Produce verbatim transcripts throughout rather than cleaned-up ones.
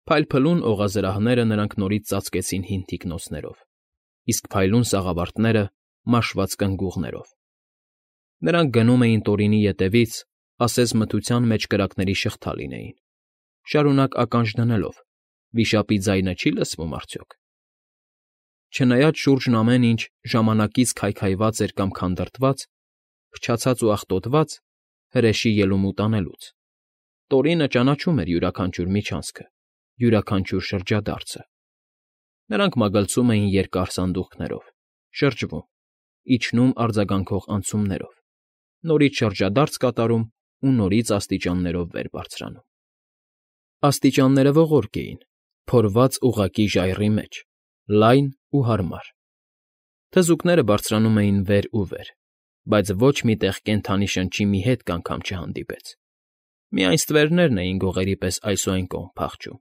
Փայլփլուն օղազրահները նրանք նորից ծածկեցին հին թիկնոնցերով, իսկ փայլուն սաղավարտները՝ մաշված կնգուղներով. նրանք գնում էին Տորինի ետևից, ասես մթության մեջ կրակների շղթա լինեին, շարունակ ականջ դնելով՝ վիշապի ձայնը չի՞ լսվում արդյոք։ Չնայած շուրջն ամեն ինչ ժամանակից քայքայված էր կամ քանդրտված, փչացած ու աղտոտված, հրեշի ելումուտ անելուց, Տորինը ճանաչում էր յուրաքանչյուր միջանցքը, յուրաքանչյուր շրջադարձը. նրանք մագլցում էին երկար սանդուղքներով, շրջվում, իջնում արձագանքող անցումներով, նորից շրջադարձ կատարում ու նորից աստիճաններով վեր բարձրանում։ Աստիճանները ողորկ էին, փորված ուղղակի ժայռի մեջ, լայն ու հարմար. թզուկները բարձրանում էին վեր ու վեր, բայց ոչ մի տեղ կենդանի շնչի մի հետք անգամ չհանդիպեց, միայն ստվերներն էին գողերի պես այս ու այն կողմ փախչում,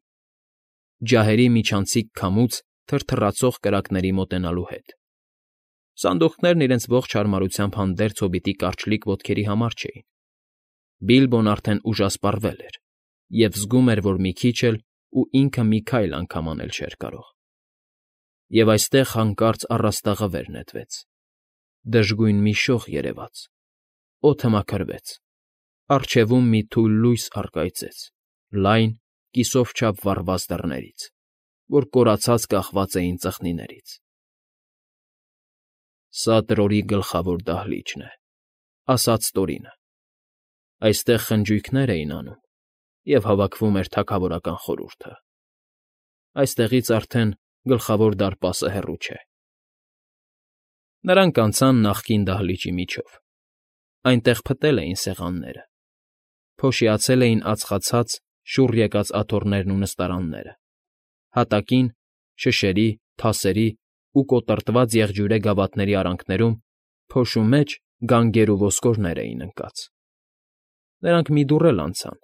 ջահերի միջանցիկ քամուց թրթռացող կրակների մոտենալու հետ։ Սանդուղքներն իրենց ողջ հարմարությամբ հանդերձ հոբիտի կարճլիկ ոտքերի համար չէին. Բիլբոն արդեն ուժասպառվել էր և զգում էր, որ մի քիչ էլ ու ինքը մի քայլ անգամ անել չէր կարող։ Եվ այստեղ հանկարծ առաստաղը վեր նետվեց, դժգույն մի շող երևաց, օդը մաքրվեց, առջևում մի թույլ լույս առկայծեց լայն, կիսով չափ վառված դռներից, որ կորացած կախված էին ծխնիներից։ «Սա Տրորի գլխավոր դահլիճն է,֊ ասաց Տորինը։֊ Այստեղ խնջույքներ էին անում, և հավաքվում էր թագավորական խորհուրդը։ Այստեղից արդեն Գլխավոր դարպասը հեռու չէ»։ Նրանք անցան նախկին դահլիճի միջով. այնտեղ փտել էին սեղանները, փոշիացել էին ածխացած, շուռ եկած աթոռներն ու նստարանները, հատակին, շշերի, թասերի ու կոտրտված եղջյուրե գավաթների արանքներում փոշու մեջ գանգեր ու ոսկորներ էին ընկած։ Նրանք մի դուռ էլ անցան,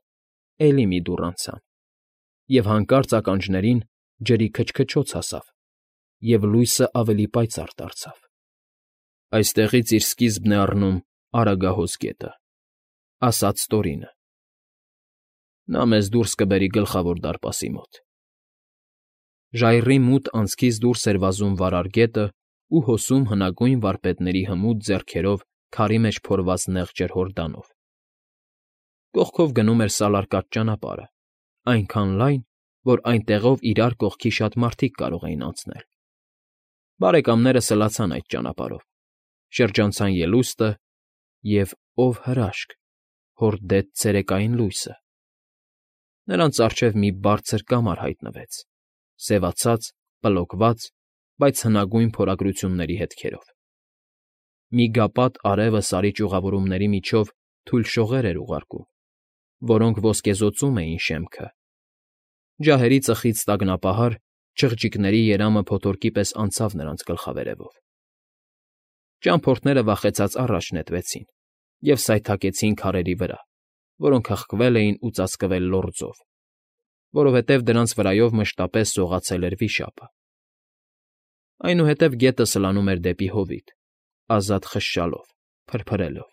էլի մի դուռ անցան, և հանկարծ ականջներին ջրի քչքչոց հասավ, և լույսը ավելի պայծառ դարձավ։ «Այստեղից իր սկիզբն է առնում Արագահոս գետը,֊ ասաց Տորինը։֊ Նա մեզ դուրս կբերի Գլխավոր դարպասի մոտ»։ Ժայռի մութ անցքից դուրս էր վազում վարար գետը ու հոսում հնագույն վարպետների հմուտ ձեռքերով քարի մեջ փորված նեղ ջրհորդանով։ Կողքով գնում էր սալարկած ճանապարհը, այնքան լայն, որ այնտեղով իրար կողքի շատ մարդիկ կարող էին անցնել։ Բարեկամները սլացան այդ ճանապարհով, շրջանցան ելուստը և, ով հրաշք, հորդեց ցերեկային լույսը։ Նրանց առջև մի բարձր կամար հայտնվեց, սևացած, պլոկված, բայց հնագույն փորագրությունների հետքերով։ Միգապատ արևը Սարի ճյուղավորումների միջով թույլ շողեր էր ուղարկում, որոնք ոսկեզօծում էին շեմքը։ Ջահերի ծխից տագնապահար, չղջիկների երամը փոթորկի պես անցավ նրանց գլխավերևով։ Ճամփորդները վախեցած առաջ նետվեցին և սայթաքեցին քարերի վրա, որոնք հղկվել էին ու ծածկվել լորձով, որովհետև դրանց վրայով մշտապես սողացել էր վիշապը։ Այնուհետև գետը սլանում էր դեպի հովիտ, ազատ խշշալով, փրփրելով։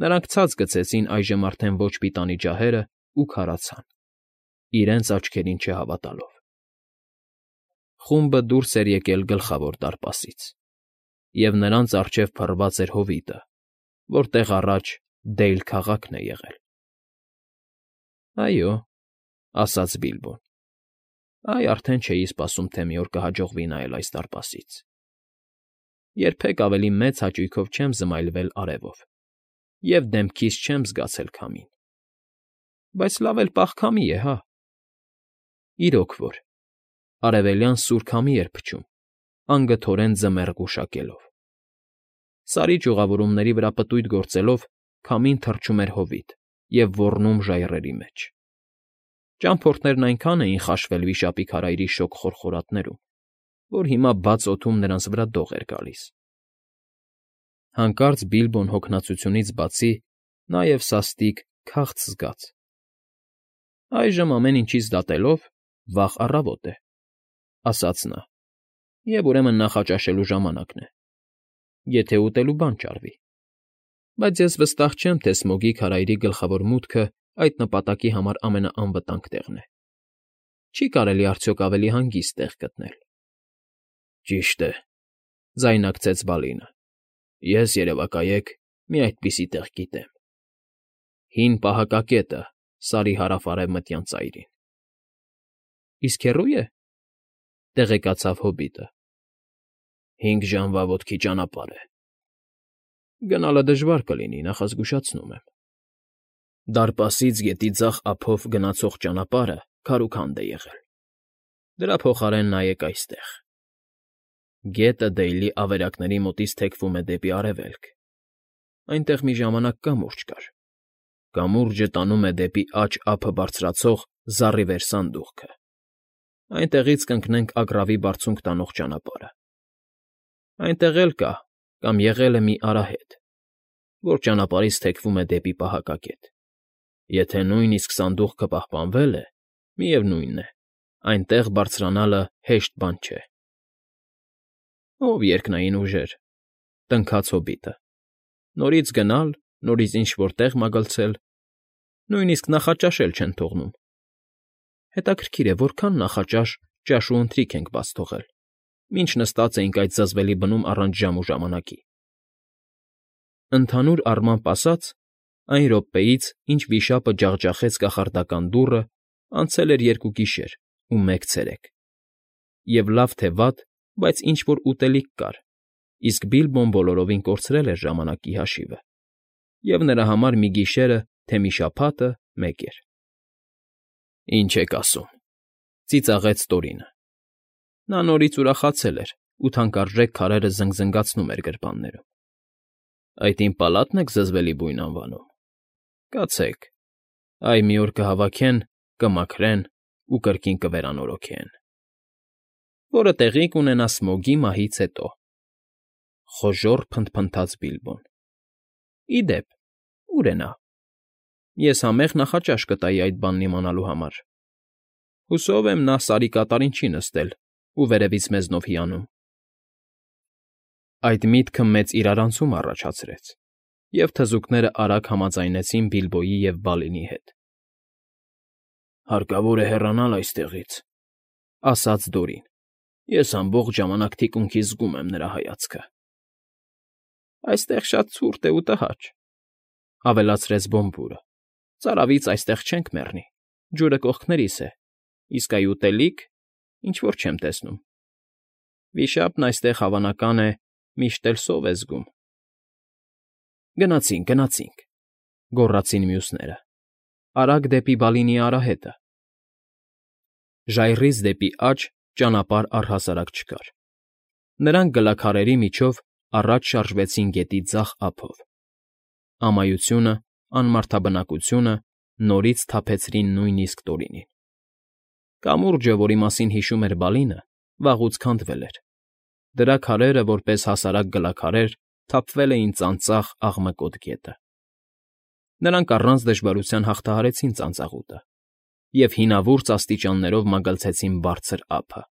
Նրանք ցած գցեցին այժմ արդեն ոչ պիտանի ջահերն ու քարացան, իրենց աչքերին չհավատալով։ Խումբը դուրս էր եկել Գլխավոր դարպասից, և նրանց առջև փռված էր հովիտը, որտեղ առաջ Դեյլ քաղաքն է եղել։ ֊ Այո,֊ ասաց Բիլբոն։֊ Այ արդեն չէի սպասում, թե մի օր կհաջողվի նայել այս դարպասից։ Երբեք ավելի մեծ հաճույքով չեմ զմայլվել արևով և դեմքիս չեմ զգացել քամին։ Բայց լավ էլ պաղ քամի է, հա։ Իրոք որ, արևելյան սուր քամի էր փչում, անգթորեն ձմեռ գուշակելով։ Սարի ճյուղավորումների վրա պտույտ գործելով քամին թռչում էր հովիտ և ոռնում ժայռերի մեջ։ Ճամփորդներն այնքան էին խաշվել վիշապի քարայրի շոգ խորխորատներում, որ հիմա բաց օդում նրանց վրա դող էր գալիս։ Հանկարծ Բիլբոն հոգնածությունից բացի նաև սաստիկ քաղց զգաց։ «Այժմ ամեն ինչից դատելով վաղ առավոտ է,֊ ասաց նա,֊ և ուրեմն նախաճաշելու ժամանակն է, եթե ուտելու բան ճարվի։ Բայց ես վստահ չեմ, թե Սմոգի քարայրի գլխավոր մուտքը այդ նպատակի համար ամենաանվտանգ տեղն է։ Չի կարելի արդյոք ավելի հանգիստ տեղ գտնել։ ֊ Ճիշտ է,֊ ձայնարկեց Բալինը։֊ Ես, երևակայեք, մի այդպիսի տեղ գիտեմ. հին պահակակետը Սարի հարավ֊արևմտյան ծայրին։ ֊ Իսկ հեռո՞ւ է,֊ տեղեկացավ հոբիտը։ ֊ Հինգ ժամվա ոտքի ճանապարհ է։ Գնալը դժվար կլինի, նախազգուշացնում եմ։ Դարպասից գետի ձախ ափով գնացող ճանապարհը քարուքանդ է եղել, դրա փոխարեն նայեք այստեղ… Գետը Դեյլի ավերակների մոտից թեքվում է դեպի արևելք, այնտեղ մի ժամանակ կամուրջ կար, կամուրջը տանում է դեպի աջ ափը բարձրացող զառիվեր սանդուղքը, այնտեղից կընկնենք Ագռավի Բարձունք տանող ճանապարհը։ Այնտեղ էլ կա կամ եղել է մի արահետ, որ ճանապարհից թեքվում է դեպի պահակակետ։ Եթե նույնիսկ սանդուղքը պահպանվել է, միևնույն է, այնտեղ բարձրանալը հեշտ բան չէ։ ֊ Ով երկնային ուժեր,֊ տնքաց հոբիտը,֊ նորից գնալ, նորից ինչ֊որ տեղ մագլցել, նույնիսկ նախաճաշել չեն թողնում… Հետաքրքիր է, որքան նախաճաշ, ճաշ ու ընթրիք ենք բաց թողել, մինչ նստած էինք այդ զզվելի բնում առանց ժամ ու ժամանակի… Ընդհանուր առմամբ ասած, այն րոպեից, ինչ վիշապը ջախջախեց կախարդական դուռը, անցել էր երկու գիշեր ու մեկ ցերեկ, և լավ թե վատ, բայց ինչ֊որ ուտելիք կար, իսկ Բիլբոն բոլորովին կորցրել էր ժամանակի հաշիվը, և նրա համար մի գիշերը, թե մի շաբաթը մեկ էր։ ֊ Ինչ եք ասում,֊ ծիծաղեց Տորինը։ Նա նորից ուրախացել էր ու թանկարժեք քարերը զնգզնգացնում էր գրպաններում։ ֊ Այդ իմ պալա՞տն եք զզվելի բույն անվանում։ Կացեք, այ մի օր կհավաքեն, կմաքրեն ու կրկին կվերանորոգեն… Որը տեղի կունենա Սմոգի մահից հետո,֊ խոժոռ փնթփնթաց Բիլբոն։ ֊ Ի դեպ, ո՞ւր է նա։ Ես համեղ նախաճաշ կտայի այդ բանն իմանալու համար… Հուսով եմ, նա Սարի կատարին չի նստել ու վերևից մեզնով հիանում… Այդ միտքը մեծ իրարանցում առաջացրեց, և թզուկներն արագ համաձայնեցին Բիլբոյի և Բալինի հետ։ ֊ Հարկավոր է հեռանալ այստեղից,֊ ասաց Դորին։֊ Ես ամբողջ ժամանակ թիկունքիս զգում եմ նրա հայացքը։ ֊ Այստեղ շատ ցուրտ է ու տհաճ,֊ ավելացրեց Բոմբուրը։֊ Ծարավից այստեղ չենք մեռնի, ջուրը կողքներիս է, իսկ այ ուտելիք… ինչ֊որ չեմ տեսնում… Վիշապն այստեղ, հավանական է, միշտ էլ սով է զգում… ֊ Գնացինք, գնացինք,֊ գոռացին մյուսները։֊ Արագ դեպի Բալինի արահետը… Ժայռից դեպի աջ ճանապարհ առհասարակ չկար։ Նրանք գլաքարերի միջով առաջ շարժվեցին գետի ձախ ափով։ Ամայությունը, անմարդաբնակությունը նորից սթափեցրին նույնիսկ Տորինին։ Կամուրջը, որի մասին հիշում էր Բալինը, վաղուց քանդվել էր։ Դրա քարերը, որպես հասարակ գլաքարեր, թափվել էին ծանծաղ, աղմկոտ գետը։ Նրանք առանց դժվարության հաղթահարեցին ծանծաղուտը և հինավուրց աստիճաններով մագլցեցին բարձր ափը։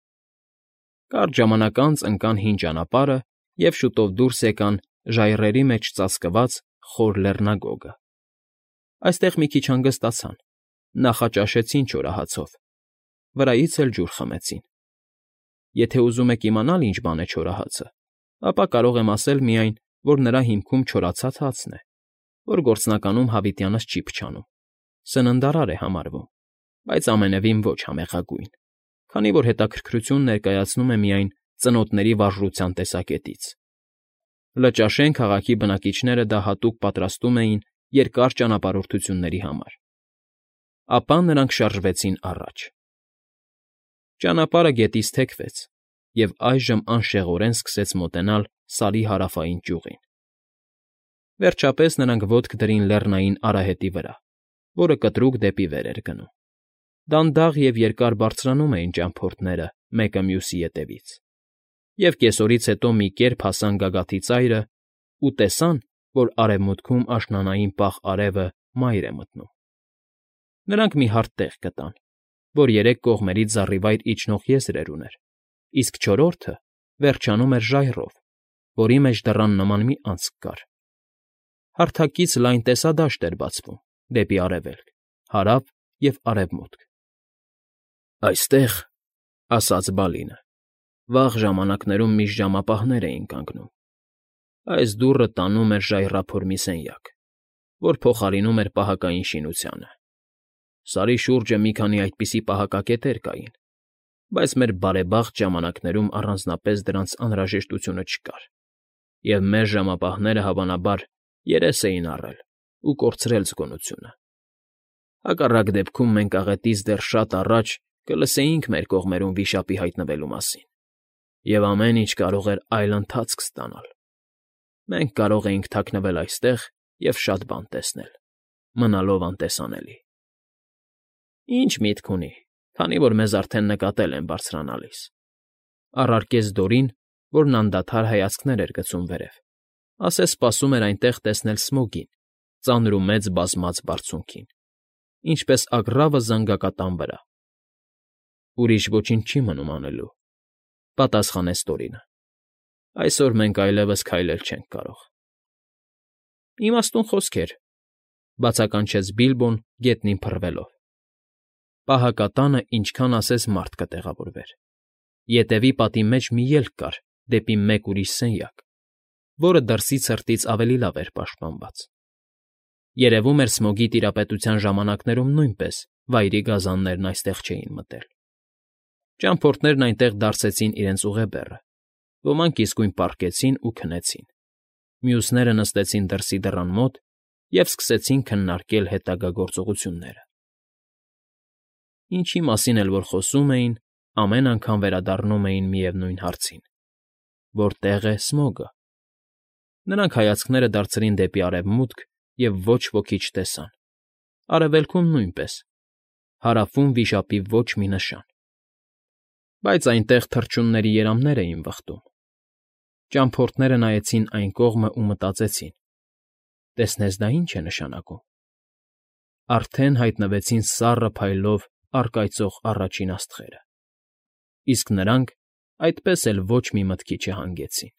Կարճ ժամանակ անց ընկան հին ճանապարհը և շուտով դուրս եկան ժայռերի մեջ ծածկված խոր լեռնագոգը։ Այստեղ մի քիչ հանգստացան, նախաճաշեցին չորահացով, վրայից էլ ջուր խմեցին։ Եթե ուզում եք իմանալ ինչ բան է չորահացը, ապա կարող եմ ասել միայն, որ նրա հիմքում չորացած հացն է, որ գործնականում հավիտյանս չի փչանում, սննդարար է համարվում, բայց ամենևին ոչ համեղագույն, քանի որ հետաքրքրություն ներկայացնում է միայն ծնոտների վարժության տեսակետից։ Լճաշեն քաղաքի բնակիչները դա հատուկ պատրաստում էին երկար ճանապարհորդությունների համար։ Ապա նրանք շարժվեցին առաջ։ Ճանապարհը գետից թեքվեց և այժմ անշեղորեն սկսեց մոտենալ Սարի հարավային ճյուղին։ Վերջապես նրանք ոտք դրին լեռնային արահետի վրա, որը կտրուկ դեպի վեր էր գնում։ Դանդաղ և երկար բարձրանում էին ճամփորդները մեկը մյուսի ետևից, և կեսօրից հետո մի կերպ հասան գագաթի ծայրն ու տեսան, որ արևմուտքում աշնանային պաղ արևը մայր է մտնում։ Նրանք մի հարթ տեղ գտան, որ երեք կողմերից զառիվայր իջնող եզրեր ուներ, իսկ չորրորդը վերջանում էր ժայռով, որի մեջ դռան նման մի անցք կար։ Հարթակից լայն տեսադաշտ էր բացվում դեպի արևելք, հարավ և արևմուտք։ Այստեղ, ֊ ասաց Բալինը, ֊ վաղ ժամանակներում միշտ ժամապահներ էին կանգնում. այս դուռը տանում էր ժայռափոր մի սենյակ, որ փոխարինում էր պահակային շինությանը. Սարի շուրջը մի քանի այդպիսի պահակակետեր կային, բայց մեր բարեբախտ ժամանակներում առանձնապես դրանց անհրաժեշտությունը չկար, և մեր ժամապահները, հավանաբար, երես էին առել ու կորցրել զգոնությունը. հակառակ դեպքում մենք աղետից դեռ շատ առաջ կլսեինք մեր կողմերում վիշապի հայտնվելու մասին, և ամեն ինչ կարող էր այլ ընթացք ստանալ. մենք կարող էինք թաքնվել այստեղ և շատ բան տեսնել, մնալով անտեսանելի։ ֊ Ի՞նչ միտք ունի, քանի որ մեզ արդեն նկատել են բարձրանալիս,֊ առարկեց Դորին, որն անդադար հայացքներ էր գցում վերև, ասես սպասում էր այնտեղ տեսնել Սմոգին, ծանր ու մեծ բազմած բարձունքին, ինչպես ագռավը զանգակատան վրա։ ֊ Ուրիշ ոչինչ չի մնում անելու,֊ պատասխանեց Տորինը։֊ Այսօր մենք այլևս քայլել չենք կարող։ ֊ Իմաստուն խոսքեր,֊ բացականչեց Բիլբոն գետնին փռվելով։ Պահակատանը ինչքան ասես մարդ կտեղավորվեր։ Ետևի պատի մեջ մի ելք կար դեպի մեկ ուրիշ սենյակ, որը դրսի ցրտից ավելի լավ էր պաշտպանված։ Երևում էր Սմոգի տիրապետության ժամանակներում նույնպես վայրի գազաններն այստեղ չէին մտել։ Ճամփորդներն այնտեղ դարսեցին իրենց ուղեբեռը, ոմանք իսկույն պառկեցին ու քնեցին, մյուսները նստեցին դրսի դռան մոտ և սկսեցին քննարկել հետագա գործողությունները։ Ինչի մասին էլ որ խոսում էին, ամեն անգամ վերադառնում էին միևնույն հարցին. որտե՞ղ է Սմոգը։ Նրանք հայացքները դարձրին դեպի արևմուտք և ոչ ոքի չտեսան, արևելքում՝ նույնպես, հարավում վիշապի ոչ մի նշան։ Բայց այնտեղ թռչունների երամներ էին վխտում։ Ճամփորդները նայեցին այն կողմն ու մտածեցին. տեսնես դա ի՞նչ է նշանակում։ Արդեն հայտնվեցին սառը փայլով առկայծող առաջին աստղերը, իսկ նրանք այդպես էլ ոչ մի մտքի չհանգեցին։